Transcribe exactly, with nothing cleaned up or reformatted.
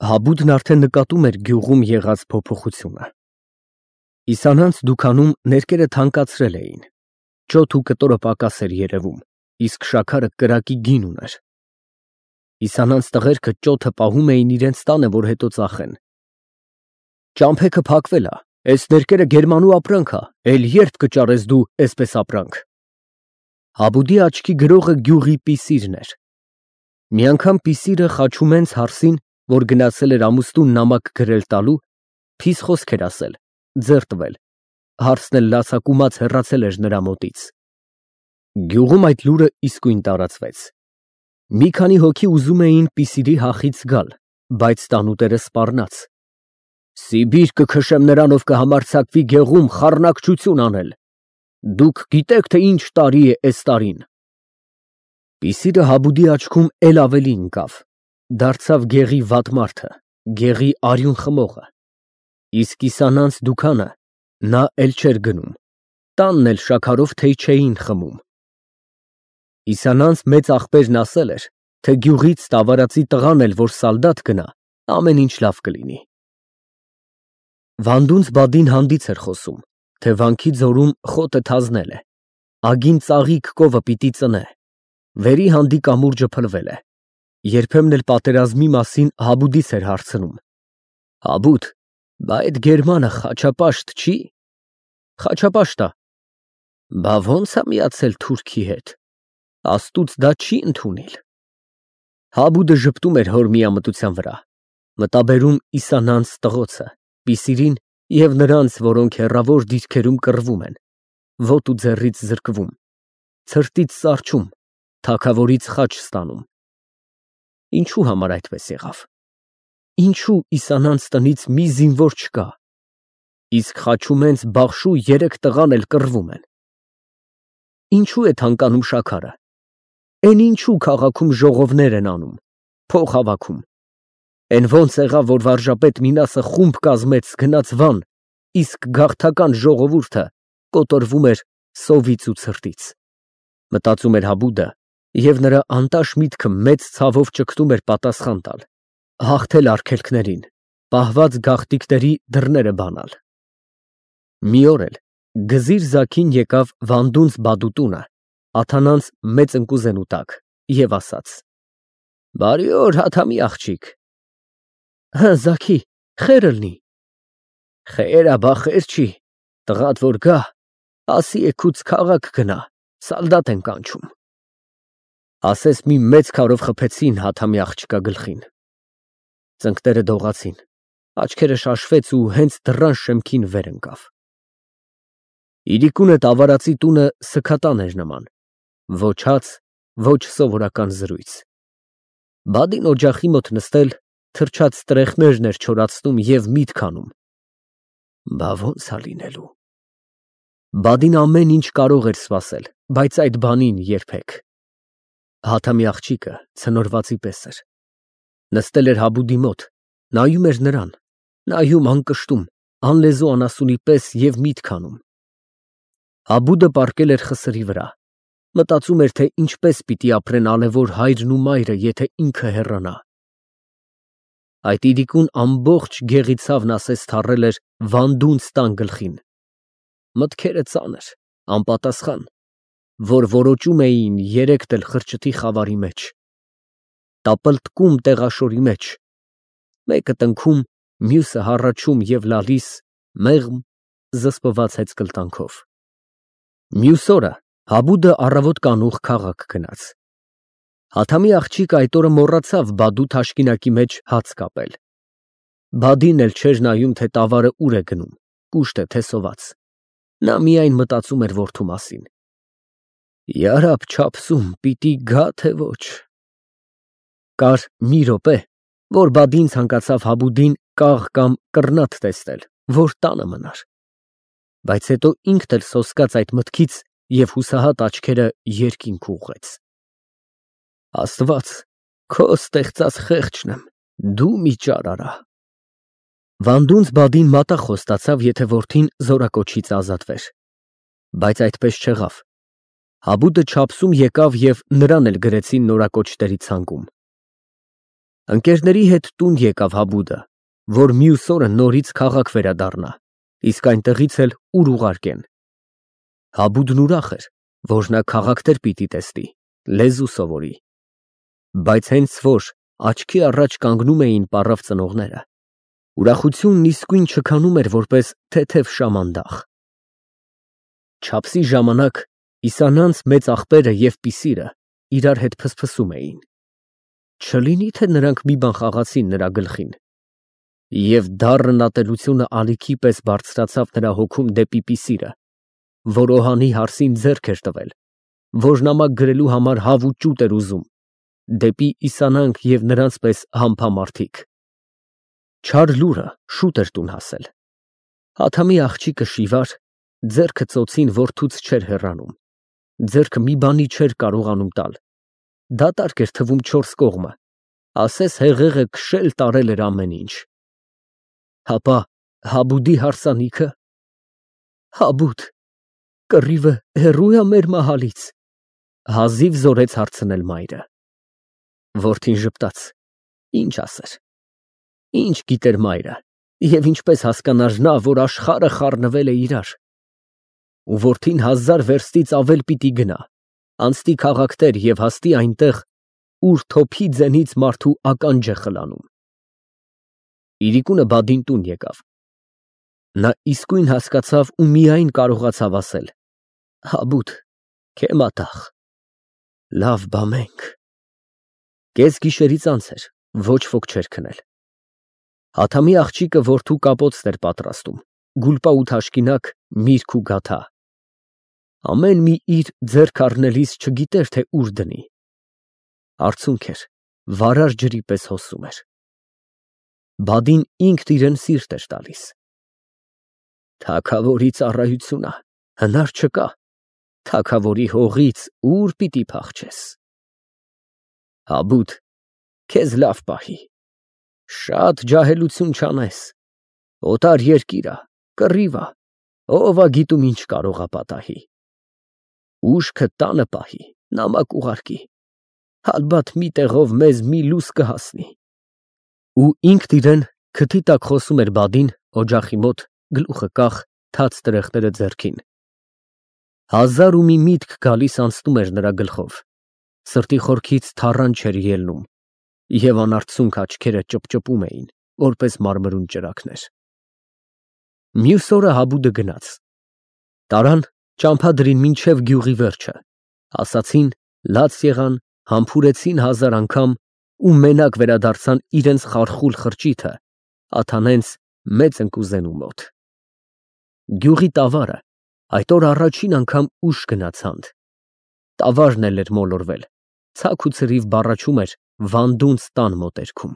Հաբուդն արդեն նկատում էր գյուղում եղած փոփոխությունը։ Իսանանց դուքանում ներկերը թանկացրել էին, ճոթ ու կտորը պակաս էր երևում, իսկ շաքարը կրակի գին ուներ։ Իսանանց տղերքը ճոթը պահում էին իրենց տանը, որ հետո ծախեն։ Ճամփեքը փակվել ա, էս ներկերը գերմանու ապրանք ա, էլ երբ կճարես դու էսպես ապրանք։ Հաբուդի աչքի գրողը գյուղի Պիսիրն էր։ Մի անգամ Պիսիրը Խաչումենց հարսին, որ գնացել էր ամուսնուն նամակ գրել տալու, փիս խոսք էր ասել, ձեռ տվել, հարսն էլ լացակումած հեռացել էր նրա մոտից։ Գյուղում այդ լուրը իսկույն տարածվեց։ Մի քանի հոգի ուզում էին Պիսիրի հախից գալ, բայց տանուտերը սպառնաց։ Սիբիր կքշեմ նրանով կհամարձակվի գյուղում խառնակչություն անել։ Դուք գիտեք, թե ինչ տարի է էս տարին։ Պիսիրը Հաբուդի աչքում էլ ավելի ընկավ, դարձավ գեղի վատ մարդը, գեղի արյուն խմողը։ Իսկ Իսանանց դուքանը նա էլ չէր գնում, տանն էլ շաքարով թեյ չէին խմում։ Իսանանց մեծ աղբերն ասել էր, թե գյուղից Տավարացի տղան էլ որ սալդատ գնա, ամեն ինչ լավ կլինի։ Վանդունց Բադին հանդից էր խոսում, թե վանքի ձորում խոտը թազնել է, ագին ծաղիկ կովը պիտի ծնե, վերի հանդի կամուրջը փլվել է, երբեմն էլ պատերազմի մասին Հաբուդից էր հարցնում. Հաբուդ, բա այդ գերմանը խաչապաշտ չի։ Խաչապաշտ ա։ Բա ո՞նց ա միացել թուրքի հետ։ Աստուծո դա չի ընդունիլ։ Հաբուդը ժպտում էր հոր միամտության վրա, մտաբերում Իսանանց տղոցը, Պիսիրին և նրանց, որոնք հեռավոր դիրքերում կռվում են, ոտու ձեռից զրկվում, ցրտից սառչում, թագավորից խաչ ստանում։ Ինչու համար այդպես եղավ։ Ինչու Իսանանց տնից մի զինվոր չկա, իսկ Խաչումենց Բախշու երեք տղան էլ կռվում են։ Ինչու է թանկանում շաքարը։ Էն ինչու քաղաքում ժողովներ են անում, փող հավաքում։ Էն ոնց եղավ, որ վարժապետ Մինասը խումբ կազմեց, գնաց Վան, իսկ գաղթական ժողովուրդը կոտորվում էր սովից ու ցրտից։ Մտածում էր Հաբուդը, և նրա անտաշ միտքը մեծ ցավով ճգտում էր պատասխան տալ, հաղթել արգելքներին, պահված գաղտիկների դռները բանալ։ Մի օր էլ Գզիր Զաքին եկավ Վանդունց Բադու տունը, աթանանց մեծ ընկուզենու տակ, և ասաց. Բարի օր, Հաթամի աղջիկ։ Հը, Զաքի, խեր ըլնի։ Խեր ա, բա խեր չի, տղադ որ գա, ասի էգուց քաղաք գնա, սալդատ են կանչում։ Ասես մի մեծ քարով խփեցին Հաթամի աղջկա գլխին։ Ծնկները դողացին, աչքերը շաշվեց ու հենց դռան շեմքին վեր ընկավ։ Իրիկունը Տավարացի տունը սքատան էր նման, ոչ հաց, ոչ սովորական զրույց։ Բադին օջախի մոտ նստել, թրջած տրեխներն էր չորացնում և միտք անում. Բա ո՞նց ա լինելու։ Բադին ամեն ինչ կարող էր սպասել, բայց այդ բանին երբեք։ Հաթամի աղջիկը ցնորվածի պես էր։ Նստել էր Հաբուդի մոտ, նայում էր նրան, նայում անկշտում, անլեզու անասունի պես և միտք անում։ Հաբուդը պառկել էր խսրի վրա, մտածում էր, թե ինչպես պիտի ապրեն ալևոր հայրն ու մայրը, եթե ինքը հեռանա։ Այդ իրիկուն ամբողջ գեղի ցավն ասես թառել էր Վանդունց տան գլխին։ Մտքերը ծանր, անպատասխան, որ որոճում էին երեկ էլ խրճիթի խավարի մեջ, տապլտկում տեղաշորի մեջ, մեկը տնքում, մյուսը հառաչում և լալիս մեղմ զսպված հեծկլտանքով։ Մյուս օրը Հաբուդը առավոտ կանուխ քաղաք գնաց։ Հաթամի աղջիկը այդ օրը մոռացավ Բադու թաշկինակի մեջ հաց կապել։ Բադին էլ չէր նայում, թե տավարը ուր է գնում, կուշտ է, թե սոված։ Նա միայն մտածում էր որդու մասին։ Յարաբ չափսում պիտի գա, թե ոչ։ Կար մի րոպե, որ Բադին ցանկացավ Հաբուդին կաղ կամ կռնատ տեսնել, որ տանը մնար։ Բայց հետո ինքն էլ սոսկաց այդ մտքից և հուսահատ աչքերը երկինք ուղղեց։ Աստված, քո ստեղծած խեղճն եմ, դու մի ճար արա։ Վանդունց Բադին մատաղ խոստացավ, եթե որդին զորակոչից ազատվեր։ Բայց այդպես չեղավ։ Հաբուդը չափսում եկավ և նրան էլ գրեցին նորակոչների ցանկում։ Ընկերների հետ տուն եկավ Հաբուդը, որ մյուս օրը նորից քաղաք վերադառնա, իսկ այնտեղից էլ ուր ուղարկեն։ Հաբուդն ուրախ էր, որ նա քաղաքներ պիտի տեսնի, լեզու սովորի, բայց հենց որ աչքի առաջ կանգնում էին պառավ ծնողները, ուրախությունն իսկույն չքանում էր որպես թեթև շամանդախ։ Չափսի ժամանակ Իսանյանց մեծ աղբերը և Պիսիրը իրար հետ փսփսում էին. չլինի թե նրանք մի բան խաղացին նրա գլխին, և դառն ատելությունը ալիքի պես բարձրացավ նրա հոգում դեպի Պիսիրը, որ Օհանի Հարսին ձեռք էր տվել, որ նամակ գրելու համար հավ ու ճուտ էր ուզում, դեպի Իսանանք և նրանց պես համբամարդիկ։ Չար լուրը շուտ էր տուն հասել։ Ադամի աղջիկը Շիվար ձեռքը ծոցին որդուց չէր հեռանում, ձեռքը մի բանի չէր կարողանում տալ, դատարկ էր թվում չորս կողմը, ասես հեղեղը քշել տարել էր ամեն ինչ։ Հապա Հաբուդի հարսանիքը։ Հաբուդ, կռիվը հեռու է մեր մահալից, հազիվ զորեց հարցնել մայրը։ Որդին ժպտաց, ինչ ասեր, ինչ գիտեր մայրը, և ինչպես հասկանար նա, որ աշխարհը խառնվել է իրար, ու որդին հազար վերստից ավել պիտի գնա, անցնի քաղաքներ և հասնի այնտեղ, ուր թոփի ձենից մարդու ականջ է խլանում։ Իրիկունը բադին տուն եկավ։ Նա իսկույն հասկացավ ու միայն կարողացավ ասել. Հաբուդ, քե մատաղ, լավ բա մենք։ Կեսգիշերից անց էր, ոչ ոք չէր քնել։ Ադամի աղջիկը որդու կապոցն էր պատրաստում, գուլպա ու թաշկինակ, միրգ ու գաթա։ Ամեն մի իր ձեռք առնելիս չգիտեր, թե ուր դնի։ Արցունք էր, վարար ջրի պես հոսում էր։ Բադին ինքն իրեն սիրտ էր տալիս։ Թագավորի ծառայությունը հնար չկա, թագավորի հողից ուր պիտի փախչես։ Հաբուդ, քեզ լավ պահի, շատ ջահելություն չանես, օտար երկիր ա, կռիվ ա, ով ա գիտում ինչ կարող ա պատահի։ Ուշքը տանը պահի, նամակ ուղարկի, ալբաթ մի տեղով մեզ մի լուս կհասնի։ Ու ինքն իրեն քթի տակ խոսում էր բադին, օջախի մոտ, գլուխը կախ, թաց տրեխները ձեռքին։ Հազար ու մի միտք գալիս անցնում էր նրա գլխով, սրտի խորքից թառան չէր ելնում, և անարցունք աչքերը ճպճպում էին, որպես մարմրուն ճրագներ։ Մյուս օրը Հաբուդը գնաց։ Տարան ճամփադրին մինչև գյուղի վերջը, ասացին, լաց եղան, համբուրեցին հազար անգամ ու մենակ վերադարձան իրենց խարխուլ խրճիթը, աթանենց մեծ ընկուզենու մոտ։ Գյուղի տավարը այդ օր առաջին անգամ ուշ գնաց հանդ։ Տավարն էլ էր մոլորվել, ցակ ու ցրիվ բառաչում էր վանդունց տան մոտերքում։